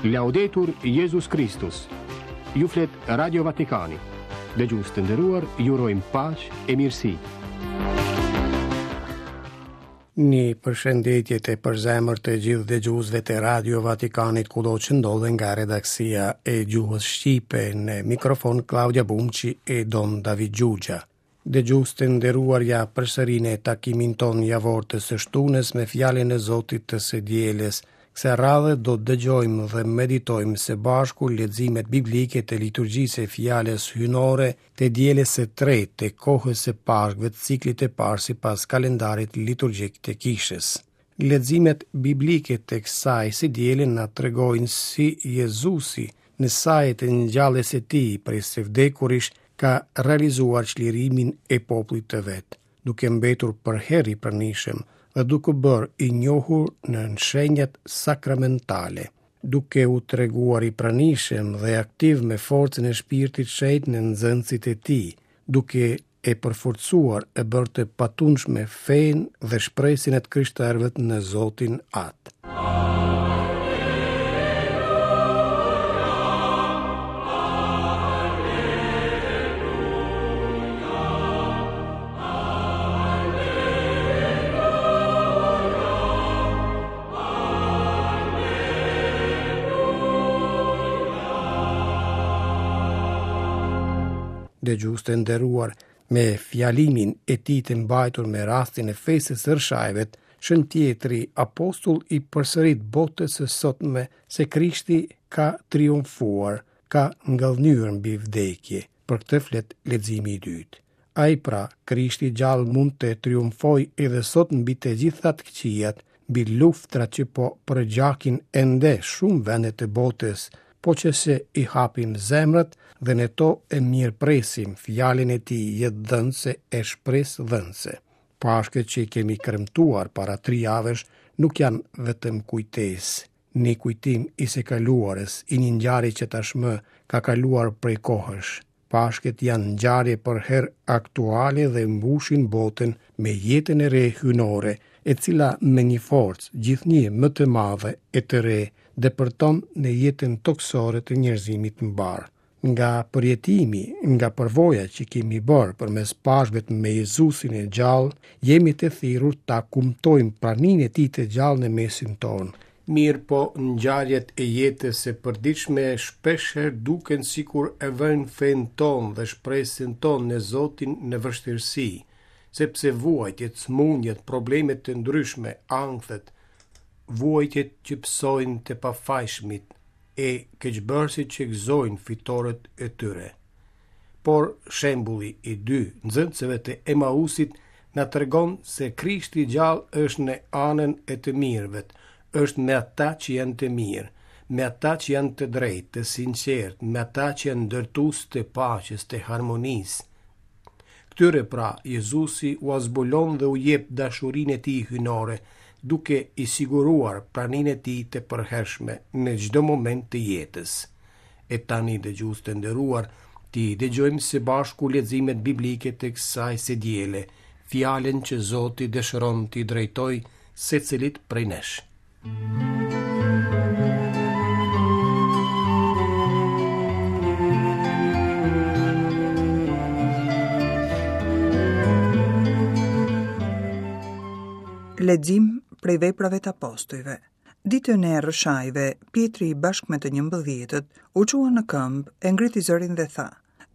Laudetur Jezus Kristus. Ju flet Radio Vatikani. Dëgjues të nderuar, ju urojmë paqe e mirësi. Një përshëndetje të përzemërt të gjithë dëgjuesve të Radio Vatikanit kudo që ndodhen nga redaksia e gjuhës shqipe në mikrofon Klaudia Bumçi e Don David Xhuxha. Dëgjues të nderuar ja përsëri në takimin tonë javor të së shtunës me fjalën e Zotit të së dielës. Kësaj radhe do të dëgjojmë dhe meditojmë së bashku leximet biblike të liturgjisë së fjalës hyjnore të dielës së tretë të kohës së Pashkëve të ciklit të parë sipas kalendarit liturgjik të Kishës. Leximet biblike të kësaj së diele na tregojnë si Jezusi në saje të ngjalljes së tij prej së vdekurish ka realizuar çlirimin e popullit të vet, duke mbetur përherë i pranishëm dhe duke u bërë i njohur në shenjat sakramentale, duke u treguar i pranishëm dhe aktiv me forcën e Shpirtit Shenjt në nxënësit e tij, duke e përforcuar e bërë të patundshme fenë dhe shpresën e të krishterëve në Zotin Atë. Dëgjues të nderuar, me fjalimin e tij të mbajtur me rastin e festës së Rrëshajve, Shën Pjetri apostull i përsërit botës së sotme se Krishti ka triumfuar, ka ngadhënjyer mbi vdekje. Për këtë flet leximi i dytë. Ai pra, Krishti i gjallë mund të triumfojë edhe sot mbi të gjitha të këqijat, mbi luftrat që po përgjakin ende shumë vende të botës, po që se i hapim zemrat dhe në to e mirëpresim fjalën e tij jetëdhënëse e shpresëdhënëse. Pashkët që i kemi kremtuar para tri javësh nuk janë vetëm kujtesë, një kujtim i së kaluarës, i një ngjarje që tashmë ka kaluar prej kohësh. Pashkët janë ngjarje përherë aktuale dhe mbushin botën me jetën e re hyjnore, e cila me një forcë gjithnjë më të madhe e të re depërton në jetën tokësore të njerëzimit mbarë. Nga përjetimi, nga përvoja që kemi bërë përmes Pashkëve me Jezusin e gjallë, jemi të thirrur ta kumtojmë praninë e tij të gjallë në mesin tonë. Mirëpo, ngjarjet e jetës së përditshme shpeshherë duken sikur e vënë fenë tonë dhe shpresën tonë në Zotin në vështirësi, sepse vuajtjet, sëmundjet, problemet të ndryshme, ankthet, vuajtjet që pësojnë të pafajshmit e keqbërësit që gëzojnë fitoret e tyre. Por shembulli i dy nxënësve të Emausit na tregon se Krishti i gjallë është në anën e të mirëve, është me ata që janë të mirë, me ata që janë të drejtë, të sinqertë, me ata që janë ndërtues të paqes, të harmonisë. Këtyre pra, Jezusi ua zbulon dhe u jep dashurinë e tij hyjnore, duke i siguruar praninë e tij të përhershme në çdo moment të jetës. E tani dëgjues të nderuar, t'i dëgjojmë së bashku leximet biblike të kësaj së diele, fjalën që Zoti dëshiron t'i drejtojë secilit prej nesh. Lexim prej veprave të apostujve. Ditën e Rrëshajve, Pjetri bashkë me të njëmbëdhjetët, u çua në këmbë, e ngriti zërin dhe tha,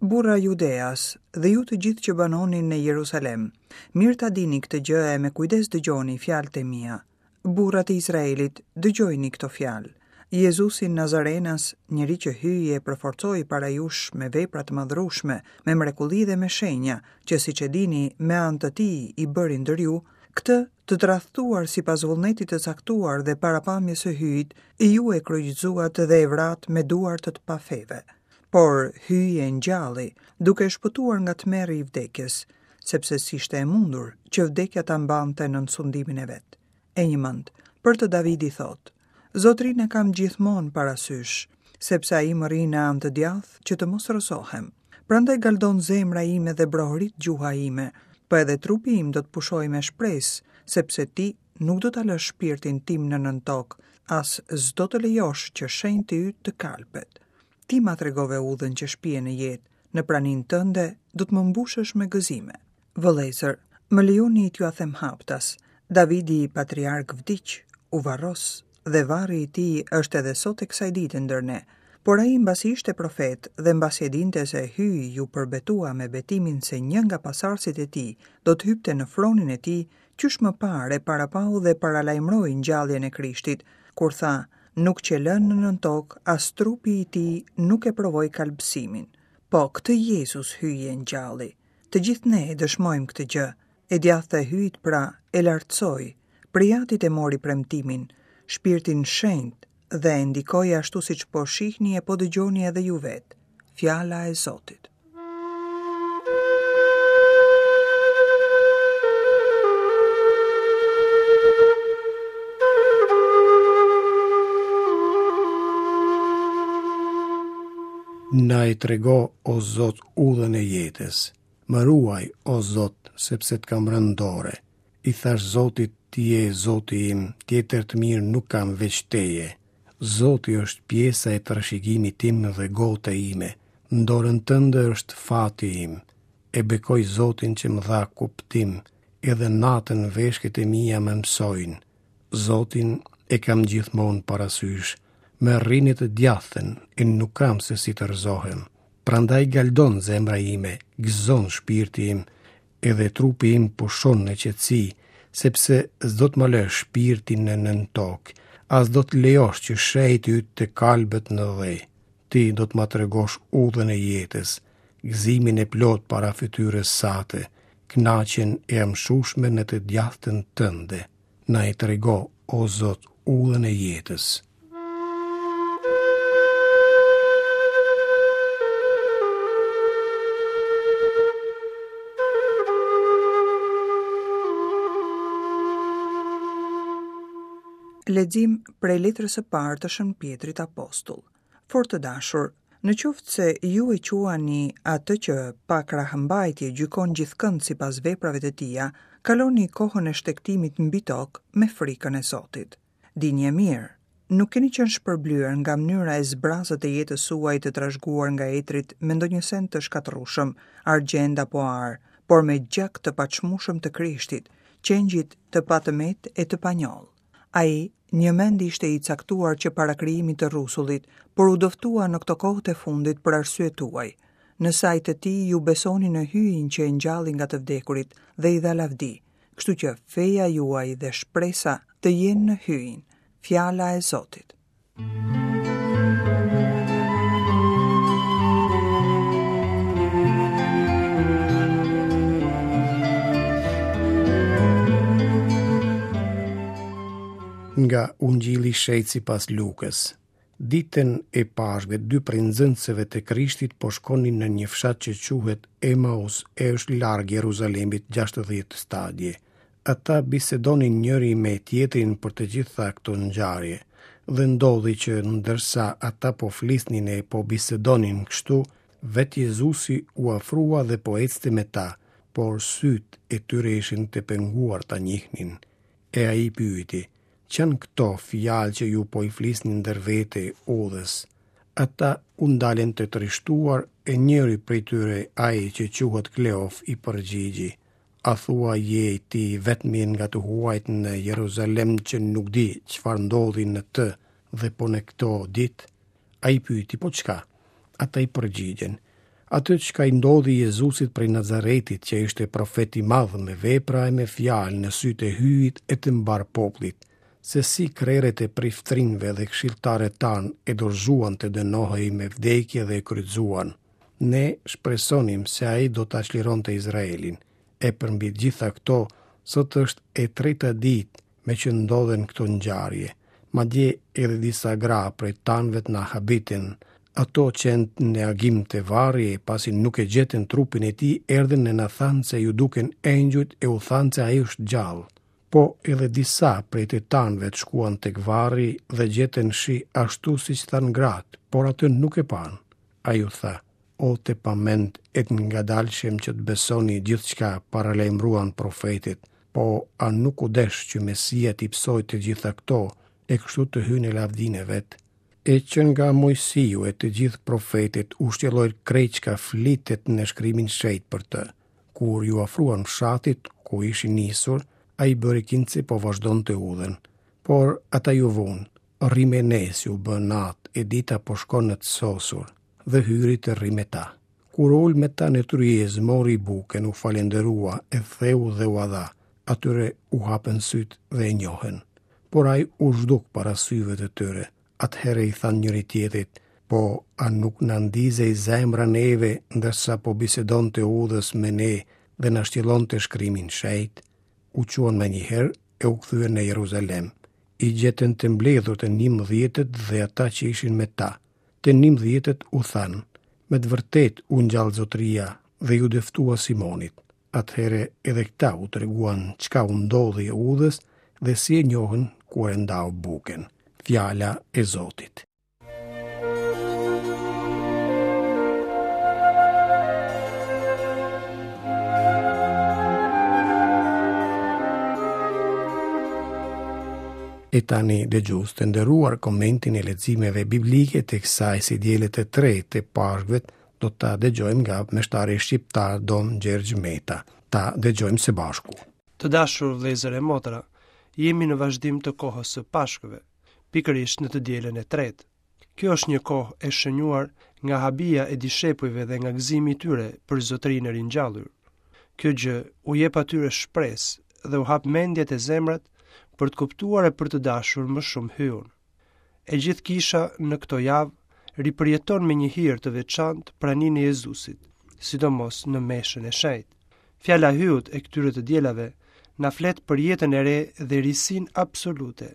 Burra judeas, dhe ju të gjithë që banoni në Jerusalem, mirë ta dini këtë gjë e me kujdes dëgjoni fjalët e mia. Burra të Izraelit, dëgjojini këto fjalë. Jezusin Nazarenas, njeri që Hyji e përforcoi para jush me vepra të madhërueshme, me mrekulli dhe me shenja, që siç e dini, me anë të tij i bëri ndër ju, këtë të tradhtuar sipas vullnetit të caktuar dhe parapamjes së Hyjit, ju e kryqëzuat dhe e vratë me duar të të pafeve. Por Hyji e ngjalli, duke e shpëtuar nga tmerri i vdekjes, sepse s'ishte e mundur që vdekja ta mbante nën sundimin e vet. E njëmend, për të Davidi thotë, Zotërinë e kam gjithmonë para sysh, sepse ai më rri në anë të djathtë që të mos rrëzohem. Prandaj galdon zemra ime dhe brohorit gjuha ime, po edhe trupi im do të pushojë me shpresë, sepse ti nuk do ta lësh shpirtin tim në nëntokë. as s'do të lejosh që shenjti yt të kalbet. Ti ma tregove udhën që shpie në jetë, në praninë tënde do të më mbushësh me gëzime. Vëllezër, më lejoni t'jua them haptas, Davidi patriark vdiq, u varros dhe varri i tij është edhe sot e kësaj dite ndër ne. Por ai mbasi ishte profet dhe mbasi e dinte se Hyji iu përbetua me betimin se një nga pasardhësit e tij do të hypte në fronin e tij, qysh më parë e parapau dhe paralajmëroi ngjalljen e Krishtit, kur tha, nuk qe lënë në nëntokë, as trupi i tij nuk e provoi kalbësimin. Po, këtë Jezus Hyji e ngjalli. Të gjithë ne e dëshmojmë këtë gjë. E djathta e Hyjit pra e lartësoi, prej Atit e mori premtimin, Shpirtin Shenjt dhe e ndikoi ashtu siç po shihni e po dëgjoni edhe ju vetë. Fjala e Zotit. Na e trego, o Zot, udhën e jetës. Më ruaj, o Zot, sepse të kam rënë dore. I thashë Zotit, ti je Zoti im, tjetër të mirë nuk kam veç teje. Zoti është pjesa e trashëgimit tim dhe gota ime, në dorën tënde është fati im. E bekoj Zotin që më dha kuptim, edhe natën veshkët e mia më mësojnë. Zotin e kam gjithmonë parasysh, më rri në të djathtën e nuk kam se si të rrëzohem. Prandaj galdon zemra ime, gëzon shpirti im, edhe trupi im pushon në qetësi, sepse s'do të më lësh shpirtin në nëntokë, as do të lejosh që shenjti yt të kalbet në dhe. Ti do të ma tregosh udhën e jetës, gëzimin e plotë para fytyrës sate, kënaqjen e amshueshme në të djathtën tënde. Na e trego, o Zot, udhën e jetës. Lexim prej letrës së parë të Shën Pjetrit Apostull. Fort të dashur, në qoftë se ju e quani atë që pa krahëmbajtje gjykon gjithkënd sipas veprave të tija, kaloni kohën e shtegtimit mbi tokë me frikën e Zotit. Dinie mirë, nuk keni qenë shpërblyer nga mënyra e zbrazët e jetës suaj të trashëguar nga etërit me ndonjë send të shkatërrueshëm, argjend apo ar, por me gjak të paçmueshëm të Krishtit, qengjit të patëmetë e të panjollë. Ai, njëmend ishte i caktuar që para krijimit të rrusullit, por u dëftua në këto kohët e fundit për arsye tuaj. Në sajë të tij ju besoni në Hyjin që e ngjalli nga të vdekurit dhe i dha lavdi, kështu që feja juaj dhe shpresa të jenë në Hyjin. Fjala e Zotit. Nga Ungjilli i Shenjtë sipas Lukës. Ditën e Pashkëve, dy prej nxënësve të Krishtit po shkonin në një fshat që quhet Emaus e është larg Jeruzalemit 60 stadie. Ata bisedonin njëri me tjetrin për të gjitha këto ngjarje, dhe ndodhi që ndërsa ata po flisnin e po bisedonin kështu, vetë Jezusi u afrua dhe po ecte me ta, por sytë e tyre ishin të penguar ta njihnin. E ai i pyeti, Ç'janë këto fjalë që ju po i flisni ndër vete udhës? Ata u ndalën të trishtuar e njëri prej tyre, ai që quhet Kleof, i përgjigji, A thua je ti i vetmi nga të huajt në Jeruzalem që nuk di çfarë ndodhi në të dhe po në këto ditë? Ai pyeti, po çka? Ata i përgjigjën, atë çka i ndodhi Jezusit prej Nazaretit, që ishte profet i madh me vepra e me fjalë në sytë e Hyjit e të mbarë popullit, se si krerët e priftërinjve dhe këshilltarët tanë e dorëzuan të dënohej me vdekje dhe e kryqëzuan. Ne shpresonim se ai do ta çlironte Izraelin. E përmbi të gjitha këto, sot është e treta ditë me që ndodhen këto ngjarje. Madje edhe disa gra prej tanëvet na habitën. Ato qenë në agim te varri e pasi nuk e gjetën trupin e tij, erdhën e na thanë se iu dukën engjujt e u thanë se ai është gjallë. Po edhe disa prej të tanëvet shkuan tek varri dhe gjetën shi ashtu siç thanë gratë, por atë nuk e panë. Ai u tha, O të pamend e të ngadalshëm që të besoni gjithçka paralajmëruan profetët, po a nuk u desh që Mesia t'i pësojë të gjitha këto? e kështu të hyjë në lavdinë e vet. E që nga Moisiu e të gjithë profetët u shtjelloi krejt çka flitet në shkrimin e shenjtë për të. Kur iu afruan fshatit ku ishin nisur, ai bëri kinse po vazhdonte udhën. Por ata iu vunë, rri me ne se u bë natë e dita po shkon në të sosur, dhe hyri të rrijë me ta. Kur u ul me ta në tryezë, mori bukën, u falënderua, e theu dhe ua dha. Atyre u hapën sytë dhe e njohën. Por ai u zhduk para syve të tyre. Atëherë i thanë njëri-tjetrit, po a nuk na ndizej zemra neve ndërsa po bisedonte udhës me ne dhe na shtjellonte shkrimin e shenjtë? U çuan menjëherë e u kthyen në Jeruzalem. I gjetën të mbledhur të njëmbëdhjetët dhe ata që ishin me ta. Të njëmbëdhjetët u thanë, me të vërtetë u ngjall Zotëria dhe iu dëftua Simonit. Atëherë edhe këta u treguan çka u ndodhi udhës dhe si e njohën kur e ndau bukën. Fjala e Zotit. E tani dëgjues të nderuar komentin e leximeve biblike të kësaj së diele të tretë të Pashkëve do ta dëgjojmë nga meshtari shqiptar Dom Gjergj Meta. Ta dëgjojmë së bashku. Të dashur vëllezër e motra, jemi në vazhdim të kohës së Pashkëve, pikërisht në të dielën e tretë. Kjo është një kohë e shënjuar nga habia e dishepujve dhe nga gëzimi i tyre për Zotërinë e ringjallur. Kjo gjë u jep atyre shpresë dhe u hap mendjet e zemrat për të kuptuar e për të dashur më shumë Hyun. E gjithë kisha në këto javë ripërjeton me një hir të veçantë praninë e Jezusit, sidomos në meshën e shenjtë. Fjala e Hyut e këtyre të dielave na flet për jetën e re dhe risinë absolute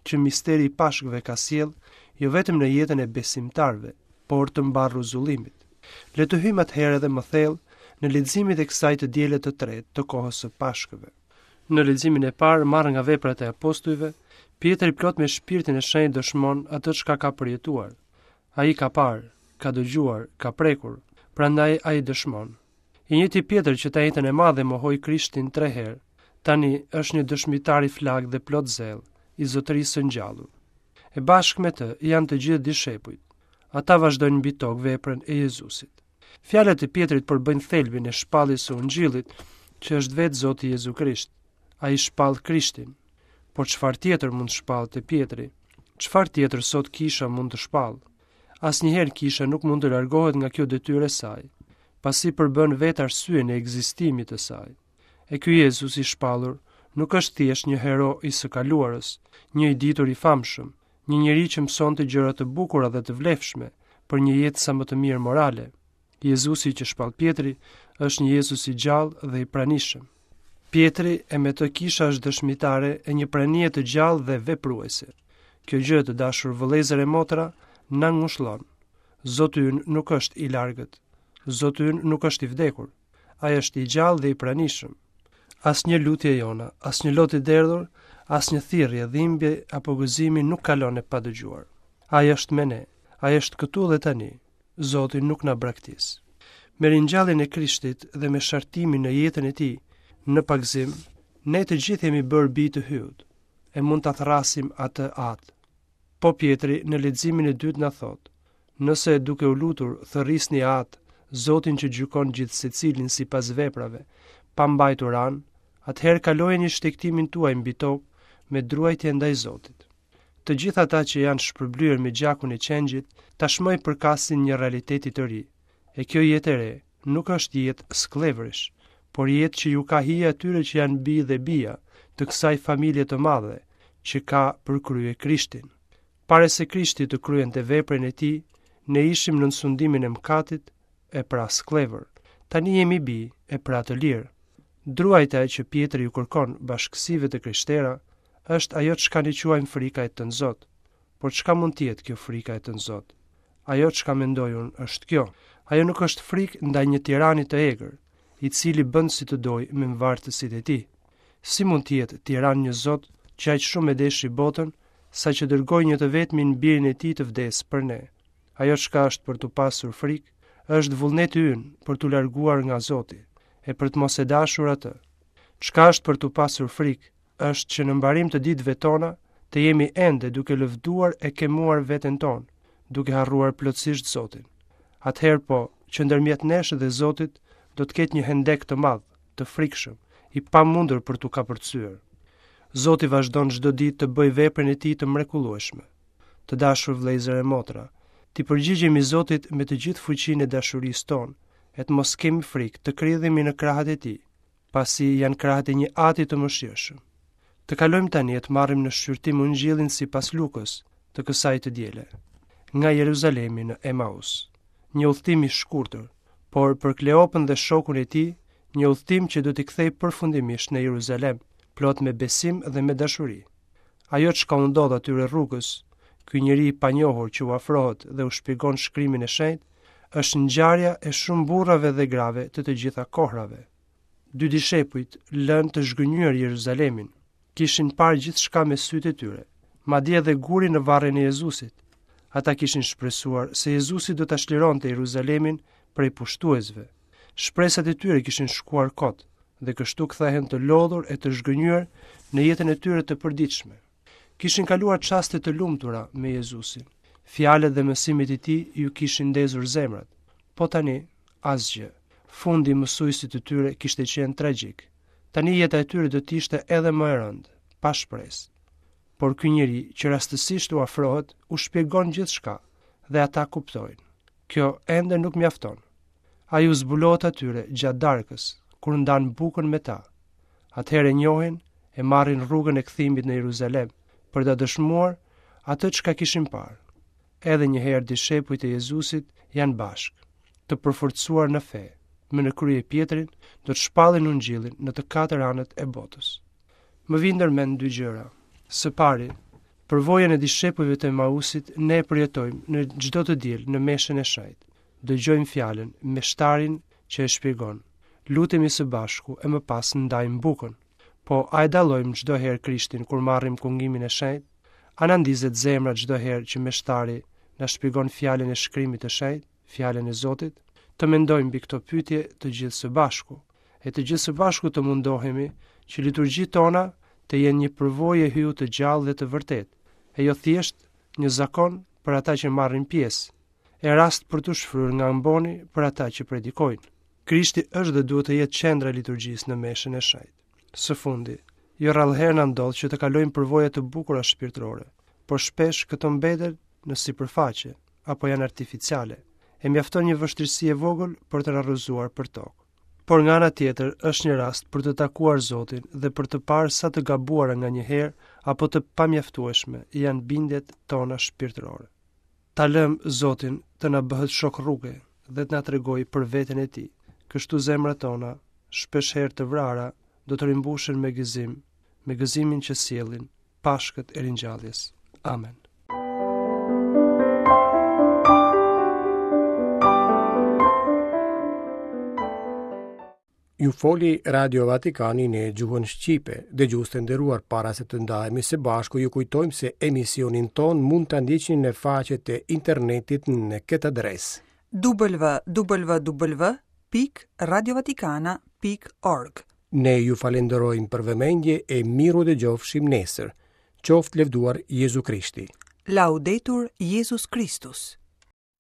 që misteri i Pashkëve ka sjellë jo vetëm në jetën e besimtarëve, por të mbarë rruzullimit. Le të hyjmë atëherë edhe më thellë në leximet e kësaj të diele të tretë të kohës së Pashkëve. Në leximin e parë, marrë nga veprat e apostujve, Pjetri plot me shpirtin e shenjtë dëshmon atë çka ka përjetuar. Ai ka parë, ka dëgjuar, ka prekur, prandaj ai dëshmon. I njëjti Pjetër që të enjten e madhe mohoi Krishtin tre herë, tani është një dëshmitar i flaktë dhe plot zell i Zotërisë së ngjallur. E bashkë me të janë të gjithë dishepujt. Ata vazhdojnë mbi tokë veprën e Jezusit. Fjalët e Pjetrit përbëjnë thelbin e shpalljes së Ungjillit, që është vetë Zoti Jezu Krisht. Ai shpall Krishtin. Por çfarë tjetër mund të shpallte Pjetri? Çfarë tjetër sot kisha mund të shpallë? Asnjëherë kisha nuk mund të largohet nga kjo detyrë e saj, pasi përbën vetë arsyen e ekzistimit të saj. E ky Jezus i shpallur nuk është thjesht një hero i së kaluarës, një i ditur i famshëm, një njeri që mësonte gjëra të bukura dhe të vlefshme për një jetë sa më të mirë morale. Jezusi që shpall Pjetri është një Jezus i gjallë dhe i pranishëm. Pjetri e me të kisha është dëshmitare e një pranie të gjallë dhe vepruese. Kjo gjë të dashur vëllezër e motra na ngushllon. Zoti ynë nuk është i largët. Zoti ynë nuk është i vdekur. Ai është i gjallë dhe i pranishëm. Asnjë lutje jona, asnjë lot i derdhur, asnjë thirrje, dhimbje apo gëzimi nuk kalon e padëgjuar. Ai është me ne, ai është këtu dhe tani. Zoti nuk na braktis. Me ringjalljen e Krishtit dhe me shartimin në jetën e tij, në pagëzim, ne të gjithë jemi bërë bij të Hyut e mund ta thërrasim atë Atë. Po Pjetri në leximin e dytë na thotë, nëse duke u lutur thërrisni Atë, Zotin që gjykon gjithsecilin sipas veprave, pa mbajtur anë, atëherë kalojeni shtegtimin tuaj mbi tokë me druajtje ndaj Zotit. Të gjithë ata që janë shpërblyer me gjakun e qengjit, tashmë i përkasin një realiteti të ri. E kjo jetë e re nuk është jetë skllevërish, por jetë që ju ka hije atyre që janë bij dhe bija të kësaj familje të madhe, që ka për krye Krishtin. Para se Krishti të kryente veprën e tij, ne ishim nën sundimin e mëkatit e pra skllevër. Tani jemi bij e pra të lirë. Druajtja që Pjetri ju kërkon bashkësive të krishtera është ajo çka ne quajmë frika e tënzot. Por çka mund të jetë kjo frika e tënzot? Ajo çka mendoj unë është kjo. Ajo nuk është frikë ndaj një tirani të egër, i cili bën si të dojë me mvartësit e tij. Si mund të jetë tiran një Zot që aq shumë e deshi botën, saqë dërgoi një të vetmin birin e tij të vdesë për ne? Ajo çka është për t'u pasur frikë, është vullneti ynë për t'u larguar nga Zoti e për të mos e dashur atë. Çka është për t'u pasur frikë, është që në mbarim të ditëve tona, Të jemi ende duke lëvduar e kemuar veten tonë, duke harruar plotësisht Zotin. Atëherë po, që ndërmjet nesh dhe Zotit do të ketë një hendek të madh, të frikshëm, i pamundur për t'u kapërcyer. Zoti vazhdon çdo ditë të bëjë veprën e tij të mrekullueshme. Të dashur vëllezër e motra, t'i përgjigjemi Zotit me të gjithë fuqinë e dashurisë tonë, e të mos kemi frikë të kridhemi në krahët e tij, pasi janë krahët e një ati të mëshirshëm. Të kalojmë tani e të marrim në shqyrtim Ungjillin sipas Lukës të kësaj të diele. Nga Jeruzalemi në Emaus. Një udhëtim i shkurtër, por për Kleopën dhe shokun e tij, një udhëtim që do t'i kthejë përfundimisht në Jeruzalem, plot me besim dhe me dashuri. Ajo çka u ndodh atyre rrugës, ky njeri i panjohur që u afrohet dhe u shpjegon shkrimin e shenjtë, është ngjarja e shumë burrave dhe grave të të gjitha kohrave. Dy dishepujt lënë të zhgënjyer Jeruzalemin, kishin parë gjithçka me sytë e tyre, madje edhe gurin në varrin e Jezusit. Ata kishin shpresuar se Jezusi do ta çlironte Jeruzalemin prej pushtuesve. Shpresat e tyre kishin shkuar kot dhe kështu kthehen të lodhur e të zhgënjyer në jetën e tyre të përditshme. Kishin kaluar çaste të lumtura me Jezusin. Fjalët dhe mësimet e tij iu kishin ndezur zemrat. Po tani, asgjë. Fundi i mësuesit të tyre kishte qenë tragjik. Tani jeta e tyre do të ishte edhe më e rëndë, pa shpresë. Por ky njeri që rastësisht u afrohet, u shpjegon gjithçka dhe ata kuptojnë. Kjo ende nuk mjafton. Ai u zbulohet atyre gjatë darkës, kur ndan bukën me ta. Atëherë e njohin e marrin rrugën e kthimit në Jeruzalem për ta dëshmuar atë çka kishin parë. Edhe një herë dishepujt e Jezusit janë bashkë, të përforcuar në fe, me në krye Pjetrin, do të shpallin ungjillin në të katër anët e botës. Më vijnë ndër mend dy gjëra. Së pari, përvojën e dishepujve të Emausit ne e përjetojmë në çdo të diel në meshën e shenjtë. Dëgjojmë fjalën, meshtarin që e shpjegon. Lutemi së bashku e më pas ndajmë bukën. Po, a e dallojmë çdo herë Krishtin kur marrim kungimin e shenjtë? A na ndizet zemra çdo herë që meshtari na shpjegon fjalën e shkrimit të shenjtë, fjalën e Zotit? Të mendojmë mbi këto pyetje të gjithë së bashku, e të gjithë së bashku të mundohemi që liturgjitë tona të jenë një përvojë e Hyut të gjallë dhe të vërtetë, e jo thjesht një zakon për ata që marrin pjesë, e rast për t'u shfryrë nga amboni për ata që predikojnë. Krishti është dhe duhet të jetë qendra e liturgjisë në meshën e shenjtë. Së fundi, jo rrallëherë na ndodh që të kalojmë përvoja të bukura shpirtërore, por shpesh këto mbeten në sipërfaqe apo janë artificiale, e mjafton një vështirësi e vogël për të na rrëzuar për tokë. Por nga ana tjetër është një rast për të takuar Zotin dhe për të parë sa të gabuara nganjëherë apo të pamjaftueshme janë bindjet tona shpirtërore. Ta lëmë Zotin të na bëhet shok rruge dhe të na tregojë për veten e tij. Kështu zemrat tona, shpeshherë të vrara, do të rimbushen me gëzim, me gëzimin që sjellin Pashkët e ringjalljes. Amen. Ju foli Radio Vatikani në gjuhën shqipe. Dëgjues të nderuar para se të ndahemi së bashku, ju kujtojmë se emisionin tonë mund ta ndiqni në faqet e internetit në këtë adresë. www.radiovatikana.org Ne ju falenderojmë për vëmendje e mirudëgjofshim nesër. Qoftë lëvduar Jezu Krishti. Laudetur Jezus Kristus.